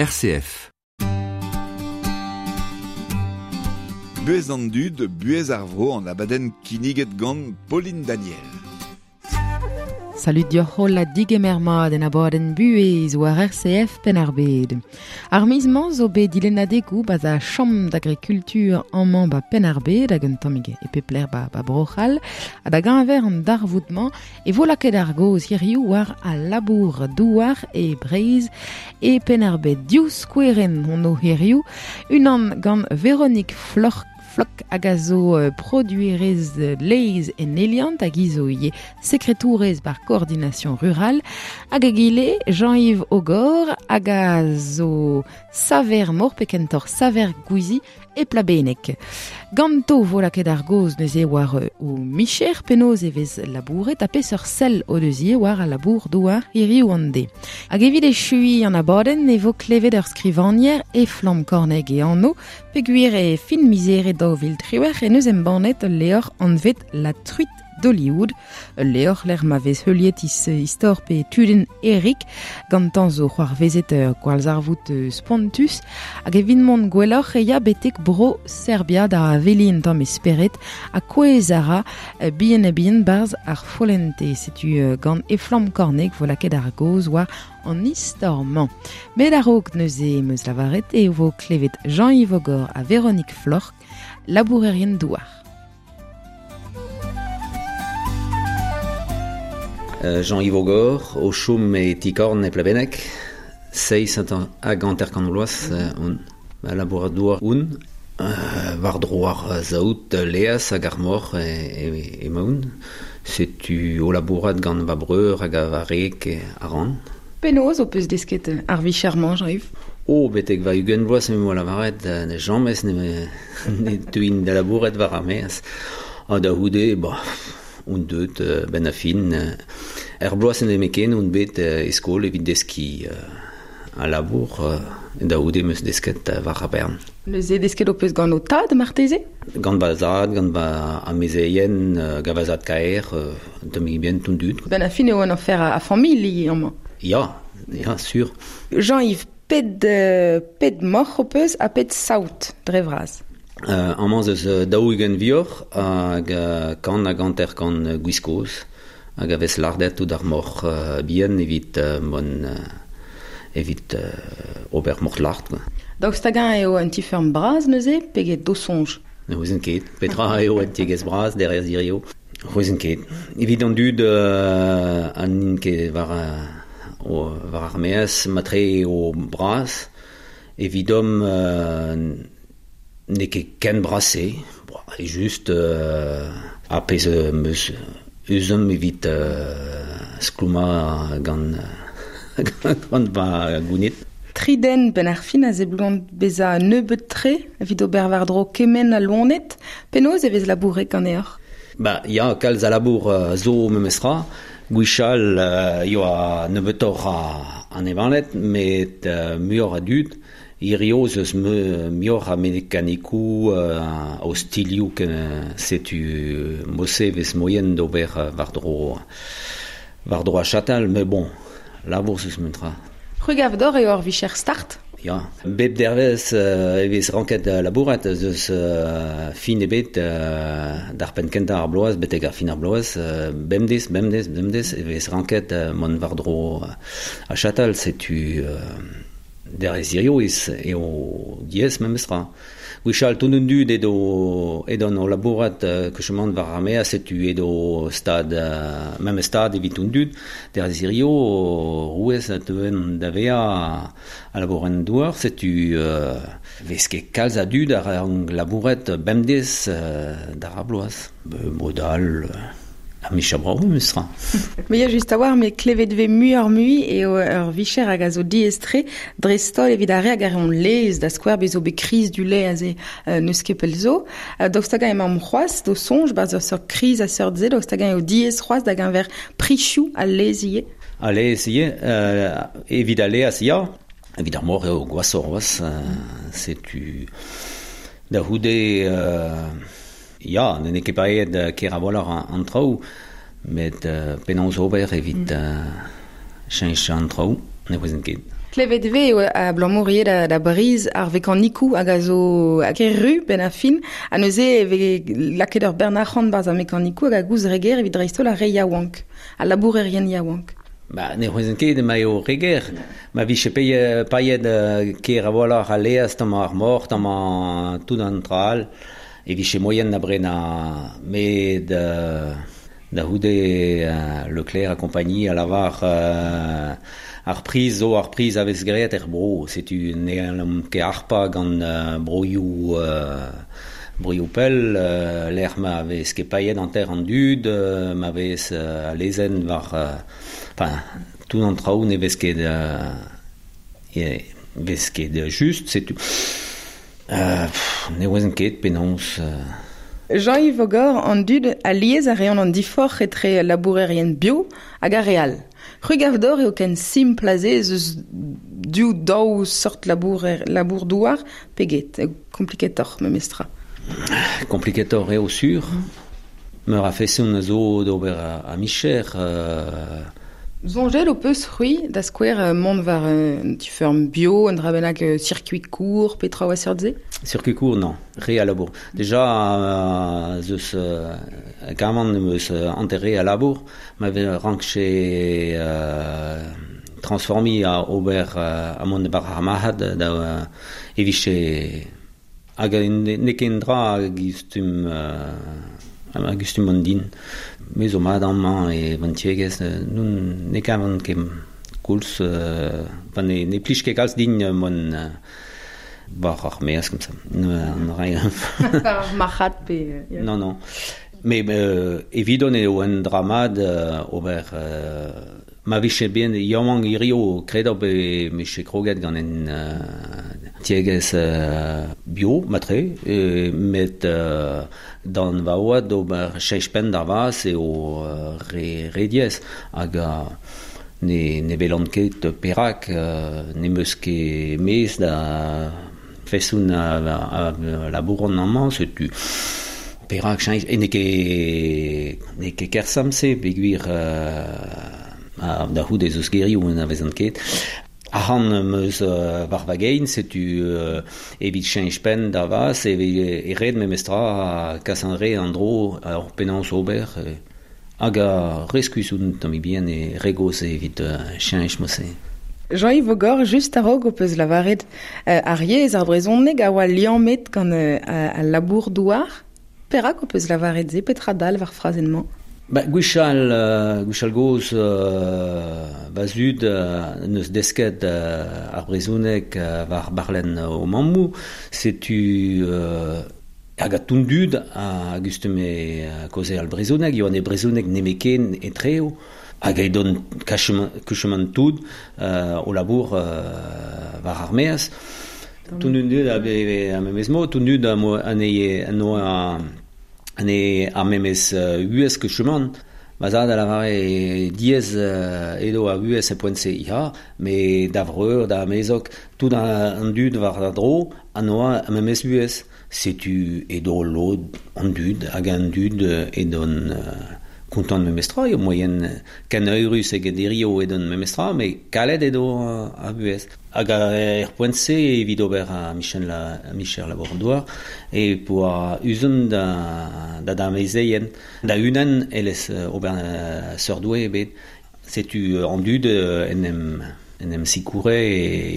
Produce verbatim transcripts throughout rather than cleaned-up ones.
R C F. Buez an dud, buez ar vro an abadenn kinniget gant Pauline Daniel. Salut dioc'h holl ha digemer mat en abadenn buez war R C F Penn-ar-Bed. Ar miz-mañ zo bet dilennadegoù ba za Chambre d'agriculture amañ ba Penn-ar-Bed hag un tammig e pep lec'h ba, ba Bro-C'hall ha da geñver an darvoud-mañ e vo lakaet ar gaoz hiziv war al labour douar e Breizh e Penn-ar-Bed. Div skouerenn hon o hiziv, unan gant Véronique Floc'h Flok hag a zo produerez laezh en Eliant hag hi zo ivez sekretourez bar coordination rurale hag egile Jean-Yves Ogor hag a zo saver mor pe kentoc'h saver gwizi e Plabenneg. Ganto vo lakaet ar gaoz neuze war o micher penaos e vez labouret ha peseurt sell o deus ivez war al labour douar hiriv an deiz. Hag evit echuiñ an abadenn e vo klevet ur skrivagner e Flamm Korneg e anv peogwir e fin mizere daou vil triwec'h en eus embannet ul levr anvet La Truite d'Hollywood, ul levr lec'h ma vez heuliet is istor pe tudenn Eric gantañ zo c'hoarvezet ur gwallzarvoud spontus hag evit mont gwelloc'h e ya betek bro Serbia da aveliñ un tamm e spered ha kouezh a ra bihan ha bihan barzh ar follente. Setu gant Eflamm Korneg vo lakaet ar gaoz war an istor-mañ. Met a-raok neuze em eus lavaret e vo klevet Jean-Yves Ogor ha Véronique Floc'h, labourerien douar. Jean-Yves Ogor, o chom e Tikorn e Plabenneg, seizh hag hanter-kant vloaz on labourat douar on, war dro ar saout laezh hag ar mor emaon. Setu o labourat gant va breur hag va reg a ran. Penaos ho peus desket ar vicher-mañ, Jean-Yves? Oh, betek va ugent vloaz em boa lavaret, ne james ne, ne teuin da labourat war ar maez. Ha da c'houde, bah, on deut ben a fin. Er bloaz en eme ken on bet e skol evit deskiñ a labour, da c'houde em eus desket war ar bern. Neuze desket ho peus gant ho tad, marteze? Gant va zad, gant va amezeien, gant va zad kaer, tammig bien ton dud. Ben a fin eo an afer a, a familh amañ. Ya, ya, sur. Jean-Yves, ped, ped moc'h ho peus ha ped saout dre vras? Euh, amañ eus daou-ugent vioc'h hag kant hag hanter-kant gwiskoz hag a vez lardet tout ar moc'h uh, bihan evit uh, mon, uh, evit uh, ober moc'h lart. Daoust hag-eñ eo un ti-feurm bras neuze pe get do soñj? Ne ouezan ket. Petra eo un tiegezh bras derez hiziv? Ouezan ket. Evit an dud uh, an int ket war, uh, o, war ar maez matre eo bras evidomp uh, n'eo ket ken brase, bon, e just euh, a pezh meus euzomp evit euh, sklouma gant, gant va gounit. Tri den ben ar fin a seblant bezañ nebeut tre evit ober war-dro kement a loened. Penaos e vez labouret ganeoc'h? Ba, ya, kalz a labour uh, zo memestra. Gwechall uh, yoa nebeutoc'h a, an evanet, met uh, muioc'h a dud. Hirio ez eus muioc'h a mekanikoù uh, o stilioù ken setu mose vez moien d'ober war-dro war-dro a chatal, met bon, labour zeus mentra. C'hwi gav deoc'h eo ur vicher start? Ya, bep dervez uh, e vez ranket labourat ez eus uh, fin ebet uh, d'ar penn kentañ ar bloaz, betek ar fin ar bloaz, uh, bemdez, bemdez, bemdez e vez ranket uh, mont war-dro a chatal, setu uh, derez hirio ez eo diaes memestra. Gwechall tout an dud edo edon o labourat uh, kechemant war ar maez, setu edo stad, uh, memes stad evit an dud. Derez hirio rouez a teuen da vezañ a labourat douar, setu uh, vez ket kalz a dud ar labourat bemdez uh, d'ar ar bloaz. Modal... Uh, A micha bravo, memestra. Me ya just a-walc'h, met klevet vez muioc'h mui eo ur vicher hag a zo diaes-tre dreist-holl evit ar re hag a reont laezh da skouer bez zo bet kriz du lait aze euh, n'eus ket pell zo. Euh, daoust hag-eñ emaomp c'hoazh d'o soñj barzh ur seurt kriz a seurt-se, daoust hag-eñ eo diaes c'hoazh da geñver prizioù al laezh ivez? Al laezh ivez, euh, evit al laezh ya, evit ar moc'h eo gwashoc'h c'hoazh, euh, setu da c'houde... Euh, Ya, n'eo ket paeet ker a-walc'h an traoù, met uh, penaos ober evit uh, cheñch an traoù, ne ouezan ket. Klevet ve eo a blamourier da, da briz ar vekanikou hag a zo hag e ru ben a fin, a neuze e ve laket ur bernac'hant barz ar mekanikou hag a gouz reger evit dreistol a re yaouank, a labourerien yaouank. Ba, ne c'hwezen ket ma eo reger. Ma vije paie, paet uh, ker a voilar a leaz tamm ar mor, tamm an tout an tra all, e vije moyen da brena met uh, da houde uh, Leclerc a compagnie a lavar uh, ar priz zo ar priz a vez graet er bro. Setu ne an ket arpa gant uh, broioù uh, broioù pell, uh, l'er ma vez ket paet an ter an dud, uh, ma vez uh, a lezen war... Uh, enfin, tout an traoù ne vez ket, uh, e, vez ket just, setu... Uh, pff, ne ouezen ket penaos... Uh, Jean-Yves Ogor, an dud a liez a reont an diforc'h etre labourerien bio hag ar real. C'hwi dor eo ken simpl aze ez eus div daou sort labourer, labour douar peget, kompliketoc'h memestra. Kompliketoc'h eo sur. Meur a feson a zo d'ober a, a micher. Euh... Zonjel o peus c'hwi da skouer mont war un tu ferme bio, un dra bennak circuit court, petra oa seurt se? Circuit court, non, re a labour. Déjà, euh, zeus euh, gaman meus enterré a labour, ma rankche euh, transformi a ober euh, a mont bar ar mahad da euh, e viche hag ne ken dra a gustum euh, a gustum an din. Me zo mat amañ e vantiegez, nun ne kavan ket koulz, euh, pa ne, ne plij ket kalz din mon euh, war ar meaz comme ça. An rai. Ar marc'had pe... Yeah. Non, non. Mais euh, evidon eo un dramad euh, ober... Euh, ma vije bien yaouank hirio kredop e meche kroget gant en euh, tiegez euh, bio, matre, e, met euh, dan va oad ober cheich penn d'ar vaz eo euh, re, re diez. Hag euh, ne, ne velan ket perak, euh, ne meus ket mez da fesoun a, a, a labouron amañ, setu perak cheich, e ne ket, ne ket kersam se, peogwir euh, a, da c'houde ez eus gerioù en a ket. Arc'hant meus uh, war va gein, setu uh, evit cheñch penn da vaz, e, e red memestra kas an re an dro ar penaos ober, e, hag a reskus oun tamm bien e regoz evit uh, cheñch mose. Jean-Yves Ogor, just a-raok o peus lavaret euh, ar yezh ar brezhoneg a oa liammet gant euh, al labour douar. Perak o peus lavaret se, petra dal war frazenn-mañ? Ba, gwechall, uh, gwechall goz uh, va zud uh, neus desket uh, ar brezhoneg uh, war barlenn o mammoù, setu uh, hag a tondud a gustume uh, koze al brezhoneg, eo an e brezhoneg nemeken etreo, hag edon kuchement tout uh, o labour uh, war ar meaz. Tondud a, a memez mo, tondud a mo an e an oa ne ar memez uh, uez ket cheman, ma zad a lavare diez uh, edo a uez e poent-se ia, me da vreur, da amezok, tout an dud war da dro, an oa a memez uez. Setu edo lod an dud, hag an dud edon uh, kontant memestra, eo moyen ken eurus eget irio edon memestra, me kalet edo uh, a uez. Hag er poent-se evit ober a Michel la, a Michel Labour-Douar, e poa uzun da, da da mezeien, da unan elez ober uh, seurdoue ebet. Setu an dud en em, en em sikoure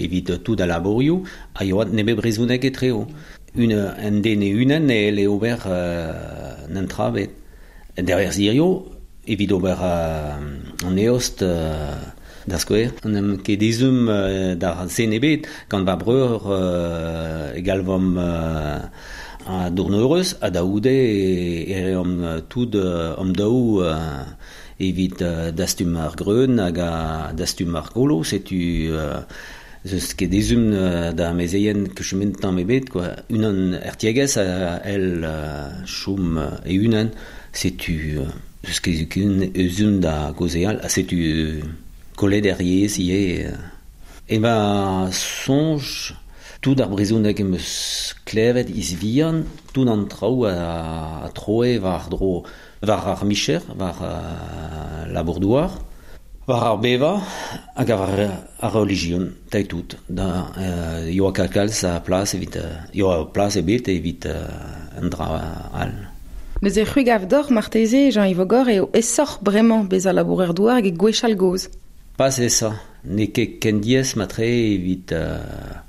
evit tout a labourioù, a yoat nebe brezhoneg etreo. Un, en den e unan e ele ober uh, n'entra bet. Derrière zirio, evit ober uh, an eost uh, da skouer. An em ket ezhomm uh, d'ar zen ebet, gant va breur uh, egalvom uh, a dourneurez, a daoude e, e reomp tout uh, om daou uh, evit uh, dastum ar greun hag a dastum ar golo, setu uh, zeus ket ezhomm uh, da mezeien kuchument tamm ebet, quoi. Unan er tiegez a el uh, choum uh, e unan, setu uh, zeus ket ezhomm da gozeal, a setu uh, kollet er yezh ivez. E va soñj, tout ar brezhoneg em eus klevet iz vihan, tout an traoù a, a troe war dro, war ar micher, war uh, labour-douar. War ar beva hag ar, ar religion, tae tout. Da, euh, yoa kalz a plas evit, yoa plas ebet evit euh, an dra all. Neuze c'hwi gav d'or marteze, Jean-Yves Ogor, eo esoc'h bremañ bezañ labourer douar hag e gwechall gozh. Pas esa, n'eo ket ken diaes matre evit... Euh,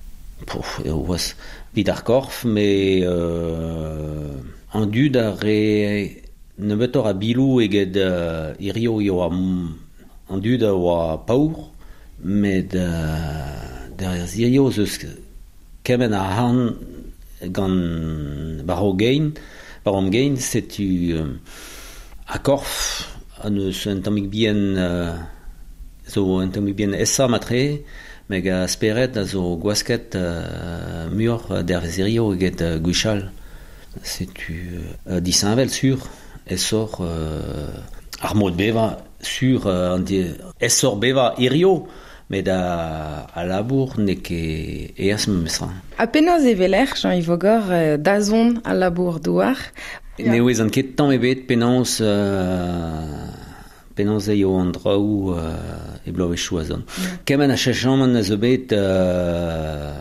pouf, eo oaz, evit ar korf, me euh, an dud ar re nebeutoc'h a bilou eget euh, hirio eo an dud a oa paour, met euh, derrière hirio zeus kement a han gant war o gein, war am gein, setu euh, a korf an eus un tammig bihan euh, zo un tammig bihan esa matre, meg a speret a zo gwasket euh, muioc'h dervez hirio eget euh, gwechall. Setu euh, disheñvel sur, esoc'h euh, ar mod beva sur euh, esoc'h beva hirio, met a, a labour n'eo ket eas memestra. Ha penaos e veler, Jean-Yves Ogor, euh, dazont al labour douar? Yeah. Ne ouezan ket tamm ebet penaos euh, penaos eo an draoù euh, e bloavezhioù a zont. Yeah. Kement a chechamant a zo bet euh,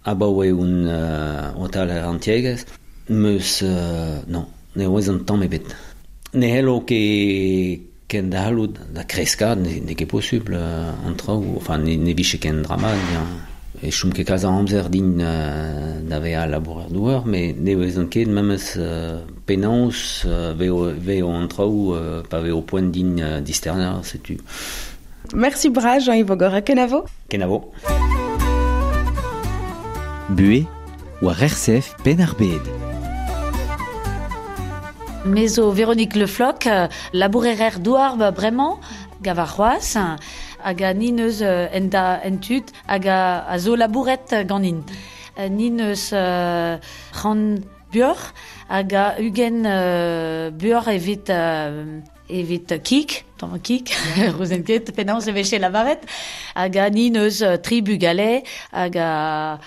abaoe un euh, otal ar an tiegezh, meus euh, non, ne ouezan tamm ebet. Ne hello ket ken da hallout da kreska, n'eo ket posubl an traoù, enfin ne, ne vije ken drama, e chom ket kalz a amzer din euh, da vezañ labourer douar, met ne ouezan ket memes euh, penaos euh, veo, veo an traoù euh, pa veo poent din euh, disternañ, setu. Merci bras Jean-Yves Ogor, kenavo. Kenavo. Buez war R C F Penn-ar-Bed. Me zo Véronique Le Floch, labourer douar ba bremañ, gav ar c'hoazh, hag a nin eus en da en tud, hag a, a zo labouret ganin. Nin eus uh, c'han buoc'h, hag a ugent uh, buoc'h evit, uh, evit kik, tamm kik, rouzen ket, penaos e veche lavaret, hag a nin eus tri bugale, hag a,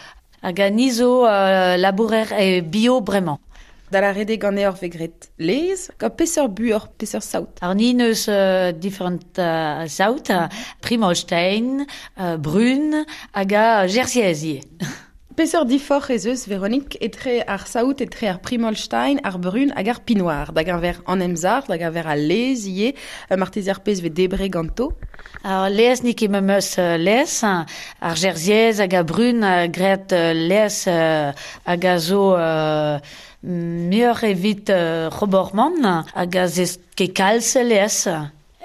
hag a ni zo uh, labourer e bio bremañ. Da la rede ganeoc'h vez graet lez, gant peseurt buoc'h, peseurt saout? Ar nin eus uh, different uh, saout, Primolstein, uh, Brun, hag a Jersiez ivez. Peseurt diforc'h ez eus, Véronique, etre ar saout, etre ar Primolstein, ar Brun hag ar Pinoir, da geñver an emzar, da geñver al lez ivez, marteze ar pezh vez debre ganto? Ar lez n'eo ket memes lez, ar Jersiez hag a Brun a graet lez hag a zo... Uh, muioc'h evit uh, roborman hag a zez ket kalz lez.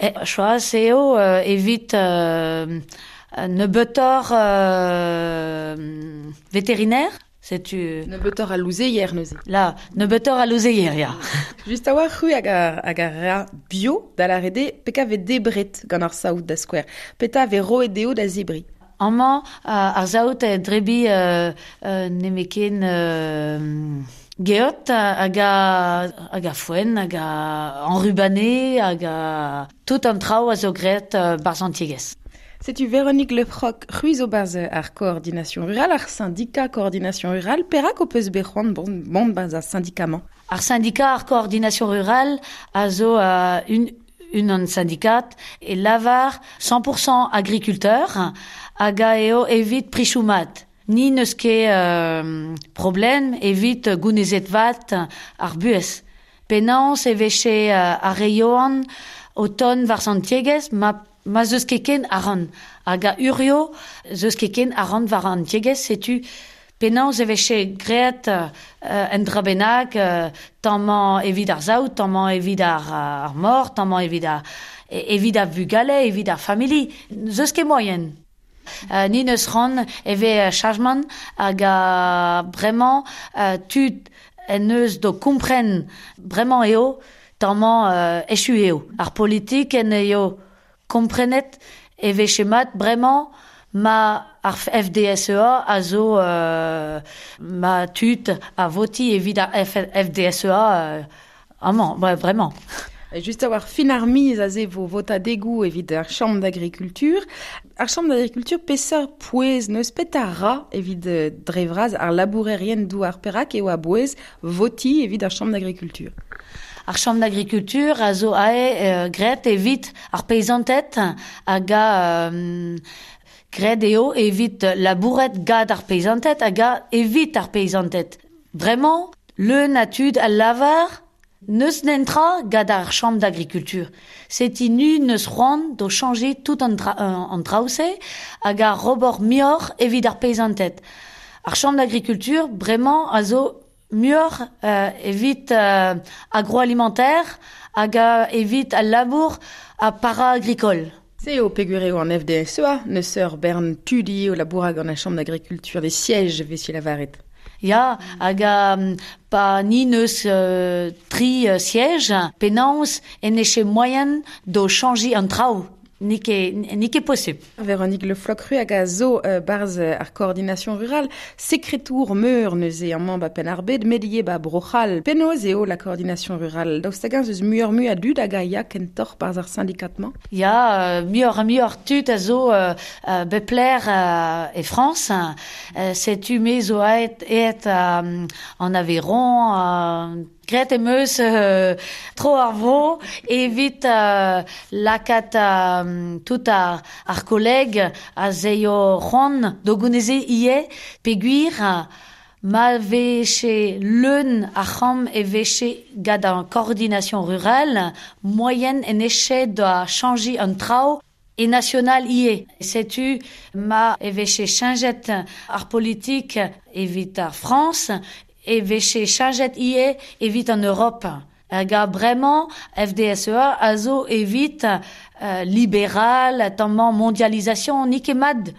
E, choaz eo uh, evit uh, nebeutoc'h uh, vétérinaire. Setu... Nebeutoc'h a louzeier neuze. La, nebeutoc'h a louzeier, ya. Just a oa c'hwi hag a, hag a ra bio da la rede peka vez debret gant ar saout da skouer. Peta vez roet dezho da zebri. Amañ ar saout e drebi euh, euh, nemeken... Euh, Geot hag a, hag a foenn, hag a enrubané, hag a tout an traoù a zo graet uh, barzh an tiegezh. Setu Véronique Le Froc, c'hwi zo barzh ar coordination rurale, ar syndicat coordination rurale, perak ho peus bet c'hoant bon, bon barzh ar syndicat-mañ? Ar syndicat ar coordination rurale a zo uh, un, un an syndicat e lavar cent pour cent agriculteur hag a eo evit prichoumat. Ni n'eus ket euh, problem evit gounezet vat ar buez. Penaos e veche euh, ar reioan o ton war an tiegezh, ma, ma zeus ket ken aran. Hag a urio zeus ket ken aran war an tiegezh, setu penaos e veche graet euh, en dra bennak, euh, tammañ evit ar saout, tammañ evit ar, ar mor, tammañ evit ar, evit ar vugale, evit ar famili. Zeus ket moyen. Uh, ni neus ran eve chajman hag a bremañ uh, tud en eus do kompren bremañ eo tammañ uh, echu eo. Ar politik en eo komprenet e veche mat bremañ ma ar F D S E A a zo uh, ma tud a voti evit ar F D S E A uh, amañ, vraiment. Just a war fin ar miz a ze vo vota degoù evit ar Chambre d'agriculture. Ar Chambre d'agriculture peseurt pouez neus pet a ra evit dre vras ar labourerien douar perak eo a bouez voti evit ar Chambre d'agriculture. Ar chambre d'agriculture a zo ae euh, gret evit ar paysantet hag a euh, gret eo evit labouret gad ar paysantet hag a evit ar paysantet. Vraiment, le natud al lavar neus nentra gad ar chambre d'agriculture. C'est inu neus c'hoant do changer tout an, tra, an traoù-se hag ar robor mior evit ar paysantet. Ar chambre d'agriculture, vraiment, a zo muioc'h euh, evit euh, agroalimentaire hag a evit al labour a para-agricole. Se eo peogwir eo an F D S E A, neus ur bern tudi o labourag an a chambre d'agriculture des sièges vez lavaret. Ya, hag a pa ni neus euh, tri euh, sièges, penaos en eche moyen do changer an traoù. Ni ket, ni ket possible. Véronique Le Floch-Ru hag a zo euh, barz ar coordination rurale, sekretour meur neuze amañ ba Penn-ar-Bed, medie ba Bro-C'hall. Penaos eo la coordination rurale. Daoust hag-eñ eus muioc'h mui a dud hag a ya kentoc'h barz ar syndikat-mañ? Ya, euh, muioc'h ha muioc'h tud a zo euh, euh, bepler euh, e France. Euh, setu me zo aet, aet euh, en Aveyron, euh, Gret em eus euh, tro ar vro evit euh, lakaat euh, tout ar, ar kolleg a zeio c'hoant do gouneze ie peogwir ma veche leun ar c'hamm e veche gant an coordination rurale moyen en eche da changer an traoù e national ie. Setu ma e veche changet ar politik evit ar France e veche changet ie evit an Europe. Hag a bremañ F D S E A a zo evit euh, libéral, tammañ mondialisation, ni ket mat.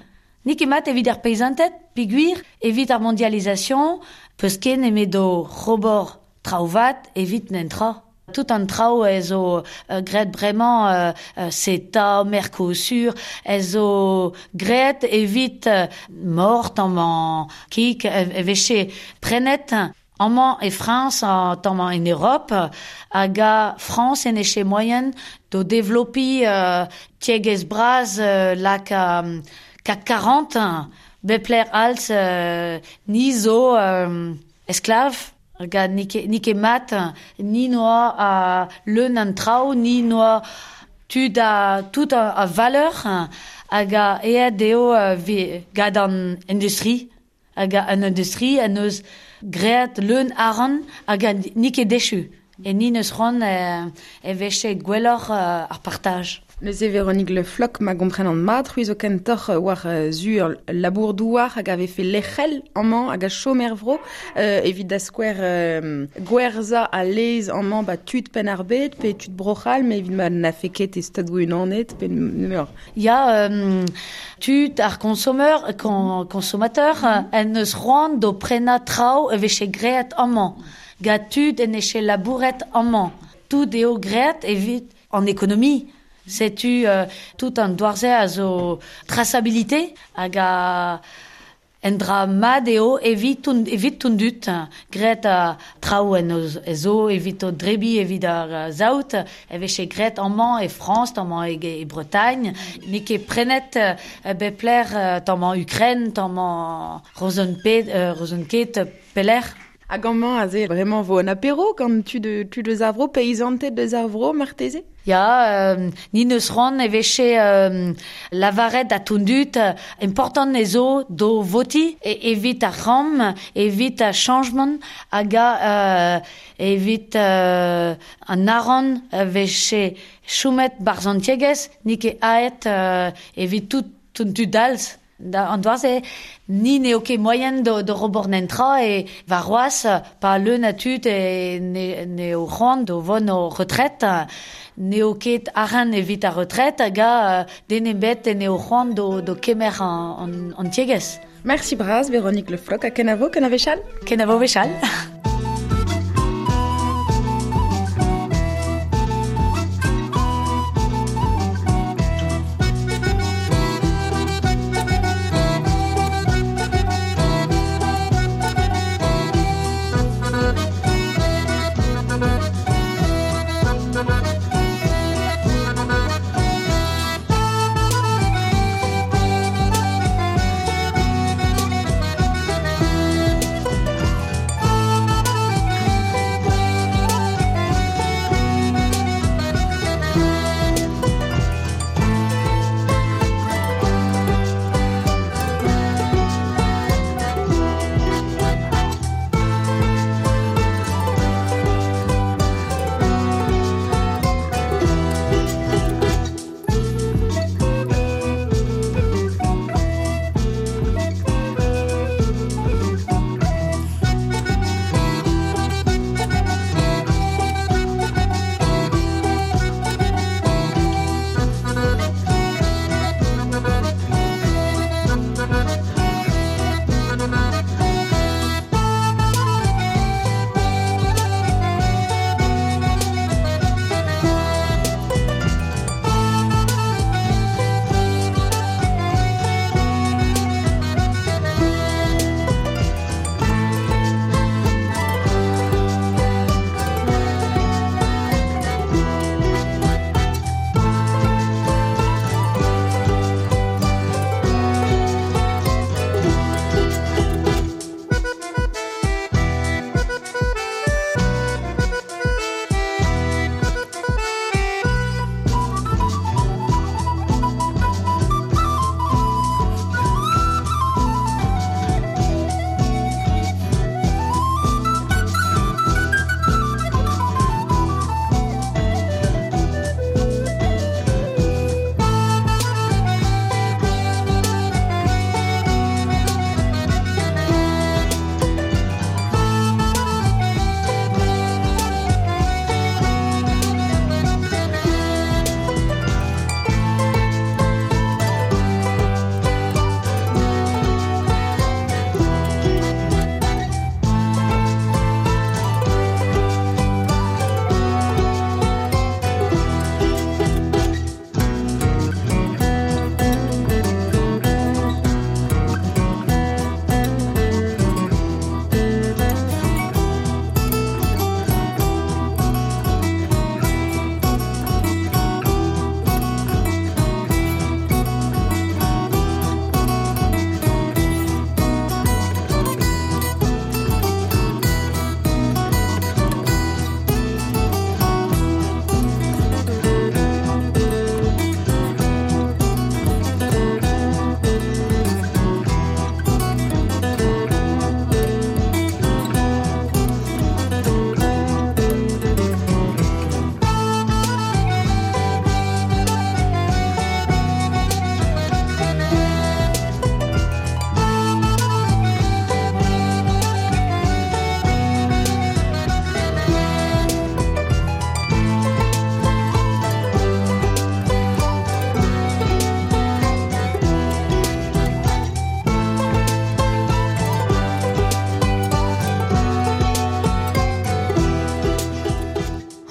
Ni ket mat evit ar paysanted, peogwir evit ar mondialisation, peus ken eme do robor traouvat evit nentra. Tout an traoù ez zo euh, gret bremañ euh, euh, CETA, Mercosur, ez zo gret evit euh, mort amañ kik e veche prenet amañ e France, amañ en Europe, hag a France en eche moyen do développer euh, tiegez braz euh, lak euh, C A C quarante, bepler als euh, ni zo euh, esclave. Hag ni ket, ni ket mat, ni noa a leun an traoù, ni noa tud a, tout a, a valeur, hag a eet eo vi, gant an industrie, hag a an industrie an eus great leun aran hag a ni ket dechu. E ni neus c'hoant e, e veche gwelloc'h ar partaj. Neuze Véronique Le Floch ma gompren an mat, c'hwi zo kentoc'h war zur labour douar hag a vefe lec'hel amañ hag a chom er vro, euh, evit da skouer euh, gwerza a lez amañ ba tud Penn-ar-Bed pe tud Bro-C'hall, mais evit ma na fe ket e stad unanet pe nemeur. Ya, euh, tud ar consomeur, con, consommateur, mm-hmm. en eus c'hoant do prena traoù e veche great amañ. Ga tud en eche labouret amañ. Tout eo great evit en économie. Setu euh, tout an doarze a zo traçabilité hag a en dra mat eo evit ton, evit ton dut gret a traoù en zo evit o drebi evit ar zaout e veche gret amañ e France amañ e, e Bretagne n'eo ket prenet bepler tamañ Ukraine tamañ Rozenpet euh, Rozenket peler. Hag amañ aze vraiment vo an apéro gant tud tud eus ar vro, paysanted eus ar vro, marteze? Ya, euh, ni neus c'hoant e veche euh, lavaret a tondut important ezo do voti e, evit ar c'hamm, evit ar changement hag a euh, evit euh, an aran veche choumet barzantiegez ni ket aet euh, evit tout tout dalz. Da an doaze, ni n'eo ket moyen do, do robor nentra e war roaz pa leun a tud e ne, n'eo c'hoant do vont o retraite, n'eo ket aran evit ar retraite hag a den ebet n'eo c'hoant do, do kemer an, an, an tiegez. Merci braz, Véronique Le Floch, a kenavo, kenavechal? Kenavo vechal.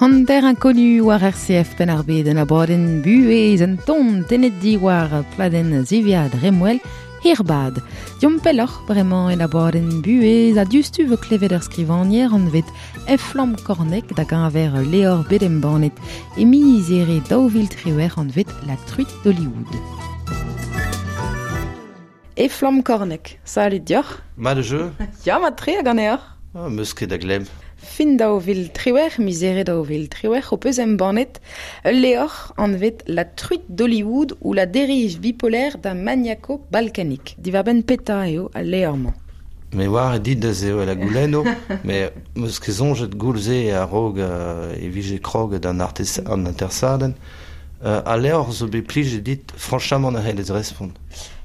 Hanter inconnu war R C F Penn-ar-Bed en abadenn buhez un ton tenet di war pladenn ziviad Remwell hirbad. Diom pelloc'h bremañ en abadenn buhez a diouzhtu vo klevet ur skrivagner anvet Efflam Kornek da gañver Leor Bedembanet e mizere daou vil triwec'h anvet La Truite d'Hollywood. Efflam Kornek, salut dioc'h. Ma de jeu. Ya, ma tre hag an eoc'h. Ah, meus ket da glemm. Fin daou vil triwec'h, mizere daou vil triwec'h, o peus embannet ul leor anvet La Truite d'Hollywood ou la dérive bipolaire d'un maniaco balkanique. Diwar-benn peta eo al leor-mañ. Me war e dit da zeo la goulenno, me meus ket soñjet goulze a-raok euh, e vije krog d'an artes an intersadenn. Euh, al leor zo bet plije dit, franchamant a c'hellez respont.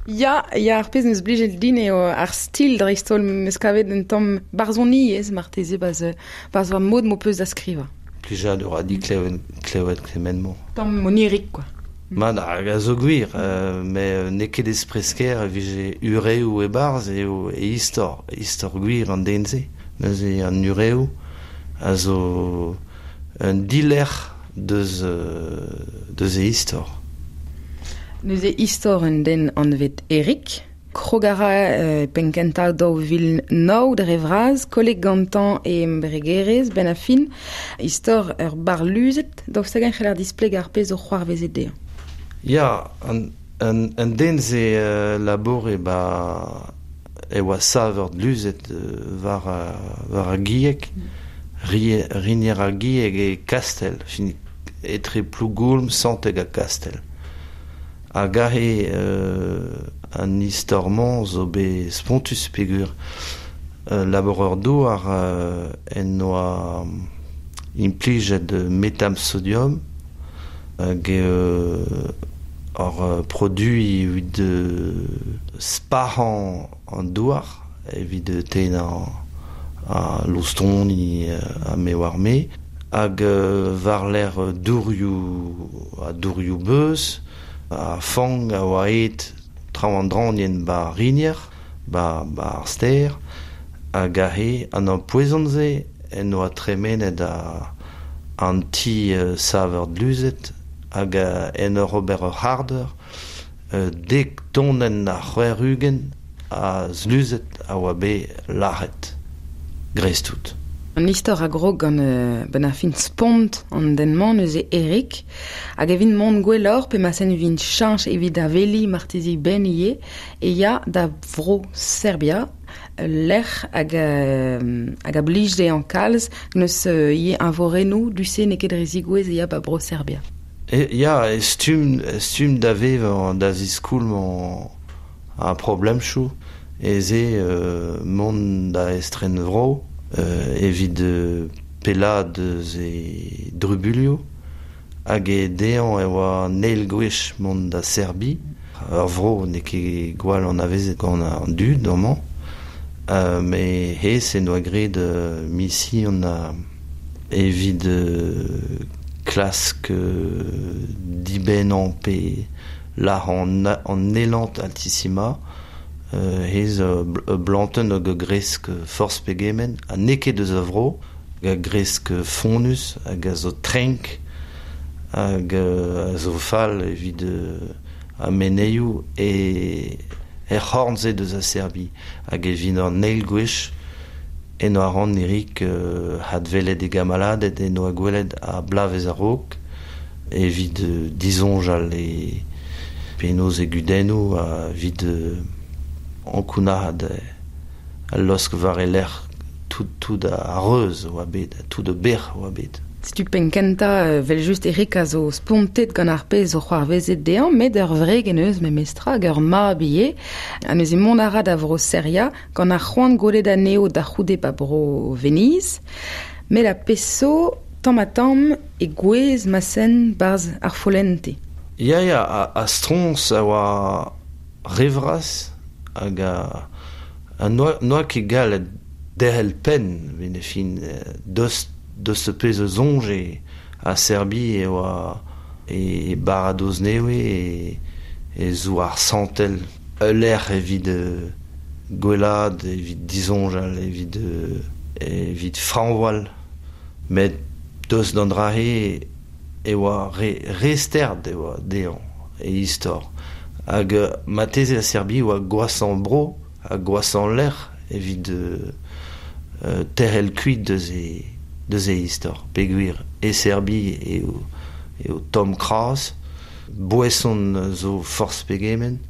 Ya, ya ar pezh neus blijet din eo ar stil dreist-holl meus kavet un tamm barzhoniezh marteze baz, baz war mod m'ho peus da skrivañ. Plijadur a di klevet, klevet kement-mañ. Tamm oniric, quoi. Ma hag a zo gwir, euh, me n'eo ket espresker e vije ureoù e-barzh eo e istor, istor gwir an den-se. Neuze an ureoù a zo un dilerc'h deus, euh, deus e istor. Neuze istor un den anvet Eric, krogara euh, penkentañ daou vil nav dre vras, kolleg gantañ e embregerezh ben a fin, istor ur barluzet, daoust hag-eñ c'heller displeg ar pezh o c'hoarvezet dezhañ. Ya, an, an, an den ze euh, labore ba e oa saver dluzet euh, war, war ar gieg, mm. rinier ar gieg e Kastel, fin etre Plougoulm, Santeg ha Kastel. Hag aze euh, an istor-mañ zo bet spontus peogwir euh, laboureur douar euh, en oa implijet metam sodium hag euh, ar produit evit euh, spahañ an douar evit tennañ a loustoni a me war me hag euh, war l'air dourioù a dourioù beuz a fang a oa aet traoù an dranien ba rinier, ba, ba ar ster, hag aze an ampoezon-se en oa tremenet a, an ti uh, saver dluzet hag uh, en ur ober ur c'hardeur uh, dek tonenn a c'hwec'h ugent a zluzet a oa bet lâret dreist-tout. An istor a grog gant euh, ben ar fin spont an den-mañ neuze Eric, hag evit mont gwelloc'h pe ma sen vin cheñch evit aveli marteze ben ivez, e ya da vro Serbia, lec'h hag, euh, hag a blij dezhañ kalz, neus euh, ivez eñvorennoù du-se n'eo ket dre zigouez e ya ba bro Serbia. E, ya, e stumm, stumm da vevañ da ziskoulm ar problemchoù, e ze euh, mont da estren vro, Euh, evit euh, pellad eus e drubulioù hag e dezhañ e oa neil gwech mont da Serbi ur vro n'eo ket gwall anavezet gant an dud amañ euh, me hezh en doa graet euh, mision a evit euh, klask euh, dibennañ pe lâr an, an elant altissima Euh, hez euh, blanten hag a gresk forz pegement, ha n'eo ket eus a vro, hag a gresk fonnus, hag a zo trenk, hag a zo fall evit euh, a meneioù e er c'horn-se deus a Serbi, hag evit an eil gwech en oa ran Eric euh, hadvelet e gamaladet en oa gwelet a blavez a-raok, evit euh, disoñjal e penaos e gudennoù a evit euh, ankounac'haat al losk war e lerc'h tout, tout a reuz oa bet, tout a bec'h oa bet. Setu penkentañ vel just Eric a zo spontet gant ar pezh o c'hoarvezet dezhañ, met ur wreg en eus memestra hag ur mab ivez. Ha neuze mont a ra da vro Seria gant ar c'hoant gwelet anezho da c'houde ba bro Venise. Met ar pezh zo tamm ha tamm e gouez ma sen barzh ar follente. Ya, ya, a, a stroñs a oa revras hag a, a noa, noa ket gallet derc'hel penn evit e fin deus, deus pezh a soñje a Serbi e oa e, e baradoz newe e, e zo ar santel ul lec'h evit euh, gwellad, evit disoñjal, evit, euh, evit frañvoal. Met Deus d'an drahe e oa re, re sterd e oa dezhañ e istor. Hag mateze a Serbi oa gwasan bro, ha gwasan lec'h evit euh, terrel kuit deus e, deus e istor. Peogwir e Serbi eo, eo Tom Kras, boeson zo forz pegement,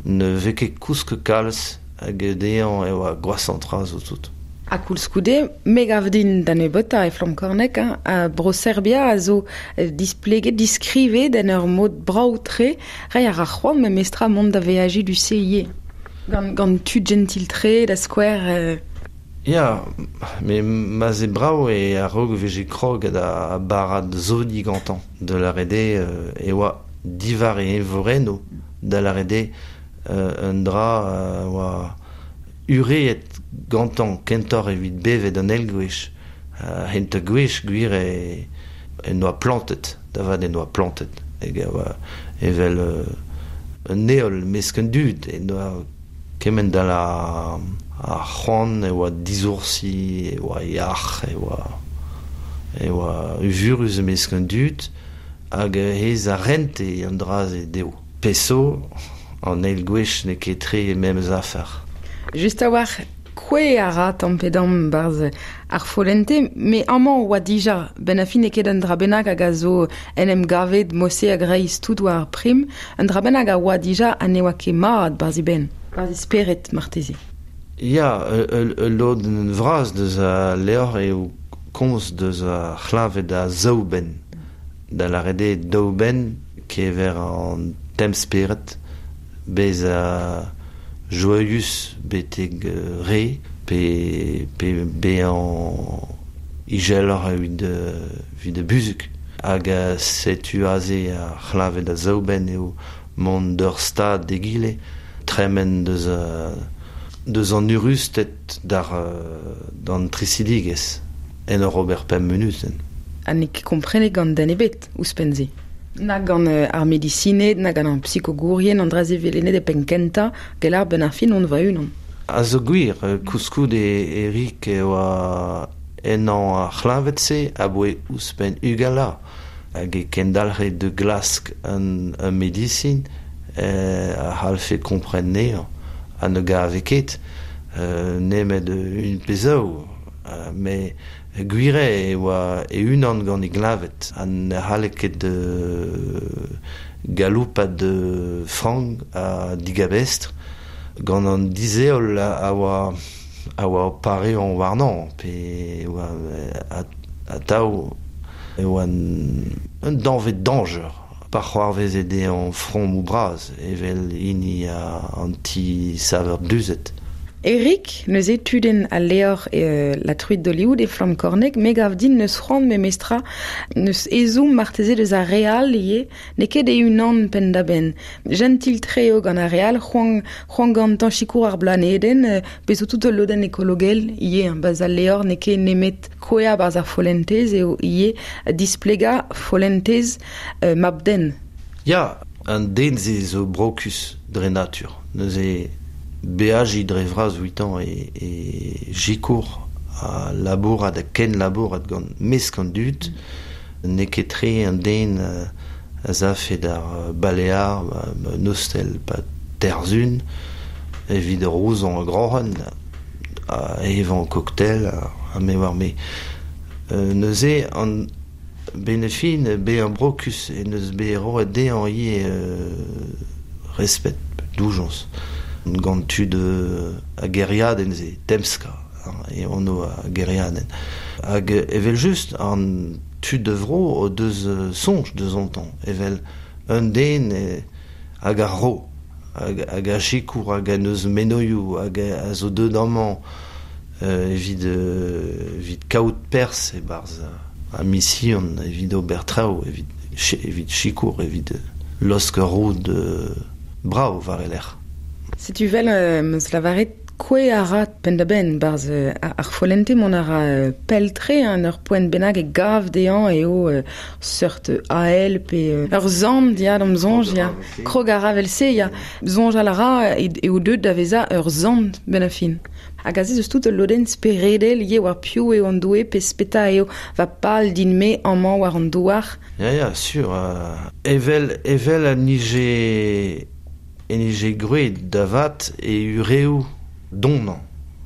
ne vez ket kousk kalz hag dezhañ e oa gwasan tra zo tout. A koulskoude, me gav din da nebeutañ e Flamm Kornek, hein, a bro Serbia a zo displeget, diskrivet en ur mod brav-tre, reiñ a ra c'hoant memestra mont da veajiñ du C I E. Gant, gant tud gentil-tre, da skouer... Euh... Ya, me ma ze brav e a-raok veje krog da barad zodi gantañ de la rede euh, e oa divar e evoreno da la rede euh, un dra euh, oa ureet gantañ kentoc'h evit bevet an eil gwech uh, hent gwech gwir e, en oa plantet, da vat en oa plantet hag a oa evel euh, un heol mesk an dud en oa kement da la a c'hoant e oa dizoursi e oa yac'h e oa e oa uvurus mesk an dud hag hez a rente an dra ze dezho. Peso an eil gwech n'eo ket tre memes afer. Just a-walc'h, kouez a ra tamm pe damm barzh ar follente, me amañ oa dija, ben a fin eo ket un dra bennak hag a zo en em gavet mose a greiz tout war ar prim, un dra bennak a oa dija ha ne oa ket mat barzh e benn, barzh e spered marteze. Ya, ul lodenn vras deus a levr eo komz deus a c'hleñved a zaou benn. Da lâret eo daou benn kever an temz-spered, bez a joaius betek re, pe, pe bezañ izeloc'h evit, evit buzhug. Hag setu aze ar c'hleñved a zaou benn eo mont d'ur stad d'egile, tremen deus a, deus an urusted d'ar, d'an trisidigezh en ur ober pemp munutenn. Ha n'eo ket komprenet gant den ebet ouzhpenn-se. Na gant ar medisined, na gant ar psikogourien, an dra-se velenet e penn kentañ, gell ar benn ar fin on va unan. A zo gwir, koulskoude Eric e oa ennañ ar c'hleñved-se aboe ouzhpenn ugent hag e kendalc'he de glask un, un medisin eh, a c'hallfe kompren anezhañ ha ne gave ket euh, nemet un pezaou euh, mais gwir e oa e-unan gant e gleñved ha ne c'halle ket galoupat de frank ha digabestr gant an dizeol a oa a oa pareañ warnañ pe oa atav e oa un danvez dañjer pa c'hoarveze dezhañ fromoù bras evel hini an ti saver duzet. Eric, neuze tudenn al levr euh, La truite d'Hollywood e Flamm Kornek, me gav din neus c'hoant memestra neus ezhomm marteze deus ar re all ivez, n'eo ket e-unan penn-da-benn. Gentil-tre eo gant ar re all, c'hoant, c'hoant gantañ sikour ar blanedenn, euh, bez zo tout ul lodenn ekologel ivez, hein, ba'z al levr n'eo ket nemet kouezhañ barzh ar follentez eo ivez displegañ follentez euh, mab-den. Ya, an den se zo brokus dre natur. Neuze beajiñ dre vras ouitañ e, e sikour a labourat ha ken labourat gant mesk an dud, n'eo ket tre an den a zafe d'ar balear, un ostel pa terzun, evit rozañ groc'hen, a evañ cocktail, a me war me. Neuze an benefin bezañ brokus e neus bet roet dezhañ ivez respet, doujañs. Gant tud a gêriadenn se, Temska, e anv a gêriadenn. Hag evel just an tud de vro o deus soñj deus an tamm, evel un den hag ar ro, hag, hag a sikour, hag a neus menoioù, hag a zo deut amañ evit, evit kaout perzh e-barzh a mision, evit ober traoù, evit, evit sikour, evit laosk ur roud brav war e lerc'h. Setu vel euh, meus lavaret Kwe a ra penn-da-benn barz ar follente mont a ra peltre an ur poent bennak e gav dezhañ eo euh, seurt A L pe ur zant ya d'am soñj ya. Krog a ra vel-se ya. Soñjal a ra eo deut da vezañ ur zant benn a fin. Hag aze eus tout ul lodenn speredel eo war piv eo an doue pe speta eo va pal din-me amañ war an douar. Ya ya, sur. Euh, evel, evel a nije, e nije gwraet da vat e ureoù donnañ.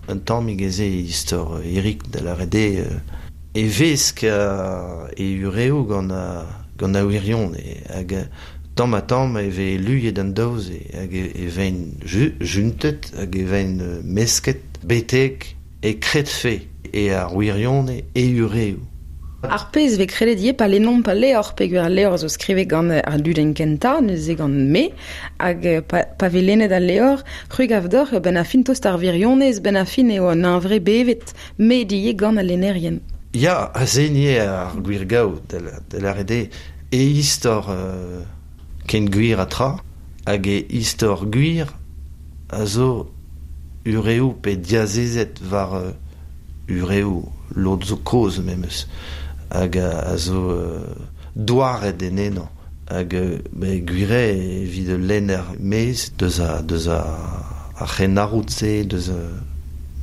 Un tammig ez eo istor Eric da lâret eo e vesk e ureoù gant a, gant a wirion e hag tamm ha tamm e vez luiet an daouz e hag e vein ju, juntet hag e vein mesket betek e kredfe e ar wirion e ureoù. Ar pezh vez kredet ivez pa lennomp al levr, peogwir al levr zo skrivet gant ar dudenn kentañ, neuze gant me, hag pa, pa vez lennet al levr, c'hwi gav deoc'h benn ar fin tost ar wirionez, benn ar fin eo an hunvre bevet, met ivez gant al lennerien. Ya, aze ivez ar gwir gaou da lâret eo e istor euh, ken gwir a tra, hag e istor gwir a zo ureoù pe diazezet war euh, ureoù lod zo kozh memes. Hag a, a zo euh, douaret en eno hag euh, gwir eo evit lenner mez deus a, deus a, ar c'henarroud-se deus,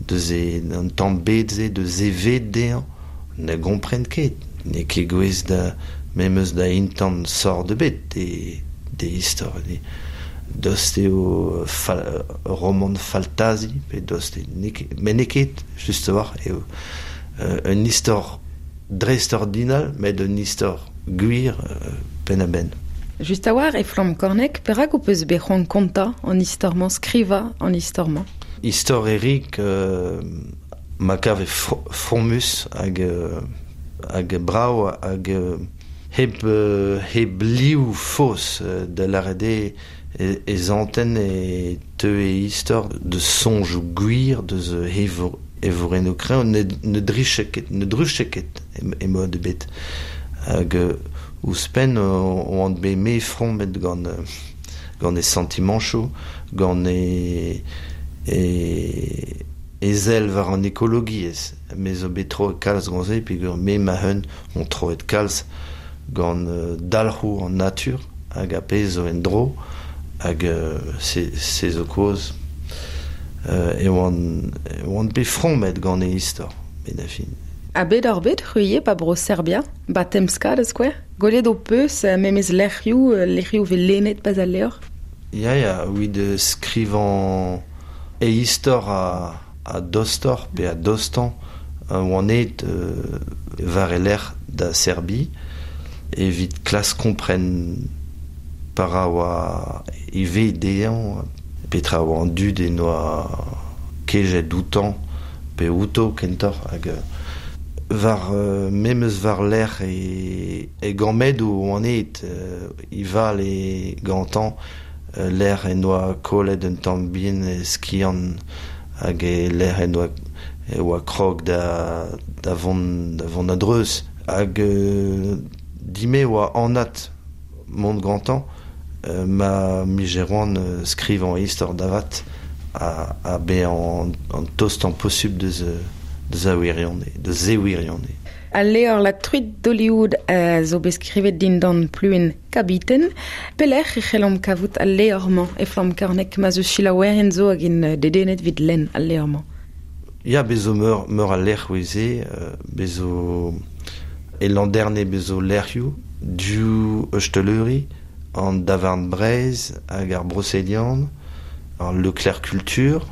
deus e, an tamm bed-se deus e ved dezhañ ne gompren ket n'eo ket gouez da memes da intant sort ebet de, de istor de, dost eo fal, roman faltazi pe dost eo met n'eo ket just a-walc'h eo euh, un istor dreist-ordinal, met un istor gwir euh, penn-a-benn. Just a-walc'h e Flamm Korneg, perak ho peus bet c'hoant kontañ an istor-mañ, skrivañ an istor-mañ? Istor Eric euh, ma kave fromus hag, euh, hag brav hag euh, hep, euh, hep liv faos euh, da lâret eo e, e zantenn e teu e istor de soñjoù gwir deus hevo e vorenno kreñv ne, ne driche ket, ne druche ket e mod ebet. Hag ouzhpenn oan bet me frommet gant, gant e sentimanchoù, gant e, e, e sell war an ekologiezh. Me zo bet troet kalz gant se, peogwir me ma-un on troet kalz gant dalc'hoù an natur hag a pezh zo en-dro hag se, se zo kozh. Euh, e oan, e oan bet frommet gant e istor, benn ar fin. Ha bet ar bet c'hwi eo pa bro Serbia, ba Temska da skouer? Gwelet ho peus memes lec'hioù, lec'hioù vez lennet pas al levr? Ya, ya, evit skrivañ e istor a, a dostoc'h pe a dostañ oan aet euh, war e lerc'h da Serbi evit klask kompren para oa e vez dezhañ petra oa an dud e noa kejet outañ pe outo kentoc'h hag war euh, memes war lerc'h e, e gammedoù oan aet euh, ival e gantañ euh, lec'h en doa kollet un tamm bihan e skiant hag e lec'h en doa e oa krog da, da vont, da vont a-dreuz hag euh, dime oa anat mont gantañ euh, ma mijeroan euh, skrivañ istor davat a, a bezañ an, an tostañ posubl deus, deus a wirion, deus e wirion. Al levr La Truite d'Hollywood a zo bet skrivet dindan pluenn Kabiten. Pelec'h e c'hellomp kavout al levr-mañ e Flamm Korneg ma zo selaouerien zo hag int dedennet evit lenn al levr-mañ? Ya, bez zo meur, meur a lec'h eo euh, bez zo e Landerne bez zo lec'hioù, du Eusteleuri, an Davarn Breizh hag ar Brocéliande, ar Leclerc Culture,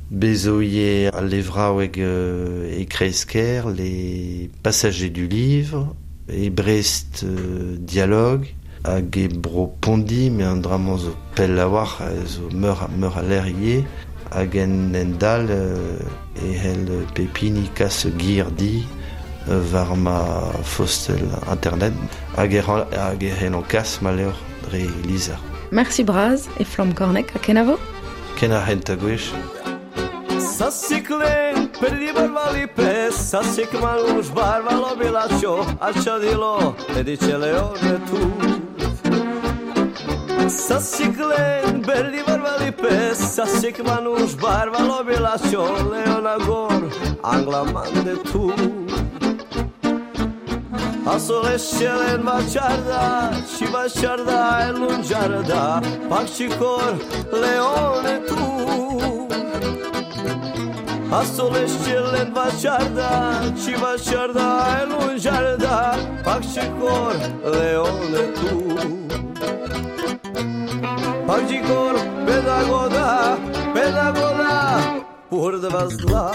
bez zo ivez al levraoueg euh, e Kreisker, les Passagers du Livre, e Brest euh, Dialogue, hag e bro Pondi, met an dra-mañ zo pell a-walc'h, zo meur, meur a lec'h ivez, hag en en dal euh, e c'hell pep hini kas gir di euh, war ma fostel internet hag e hag e c'hell an kas ma levr dre lizher. Merci bras e Flamm Korneg ha kenavo? Ken ar c'hentañ gwech. Sasiklen pribarvali sasik maluš barvalo bilačo, a čadilo, edičele tu. Sasiklen beli varvali pes, sasik manuš barvalo bila leona gor, angla mande tu. A solescelen baciarda, ci baciarda e lungiarda, pacicor leone tu. A solescelen baciarda, ci baciarda e lungiarda, pacicor leone tu. Pacicor pedagoda, pedagoda, pur dva zla.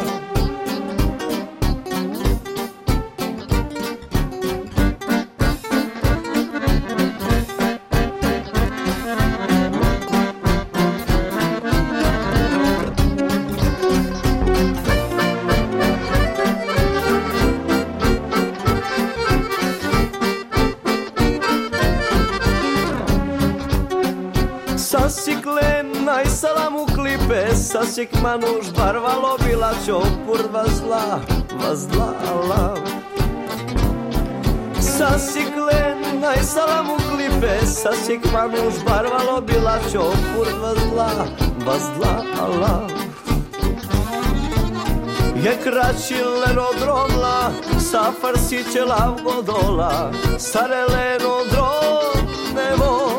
Sasik manuš barvalo bila čopur vazla, vazlala. Sasiklen najsalamu klipe, sasik manuš barvalo bila čopur vazla, vazlala. Je kraćileno dromla, sa farsićela vgodola, sareleno dronevo.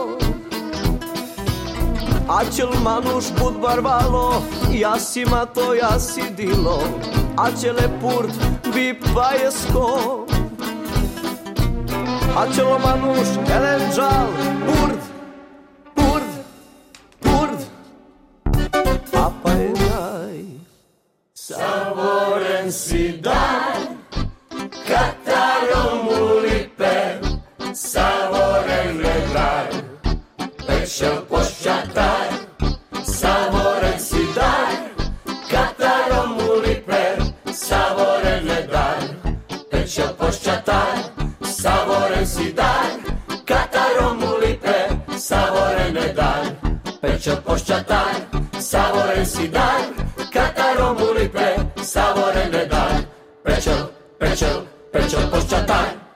Açel manuš bud barvalo, jasima to jasi dilo, açele purt bi pajesko. Açelo manuš elenđal, purt, purt, purt, a pa je naj. Savoren si dar, kataromulipe, savoren vedar, pečel poščatar, savoren si dar, kataromulipe, savoren vedar, pečel poščatar, savoren si dar, kataromulipe, savoren vedar, pečel poščatar, savoren si dar, kataromulipe, savoren vedar, pečel, pečel, pečel poščatar.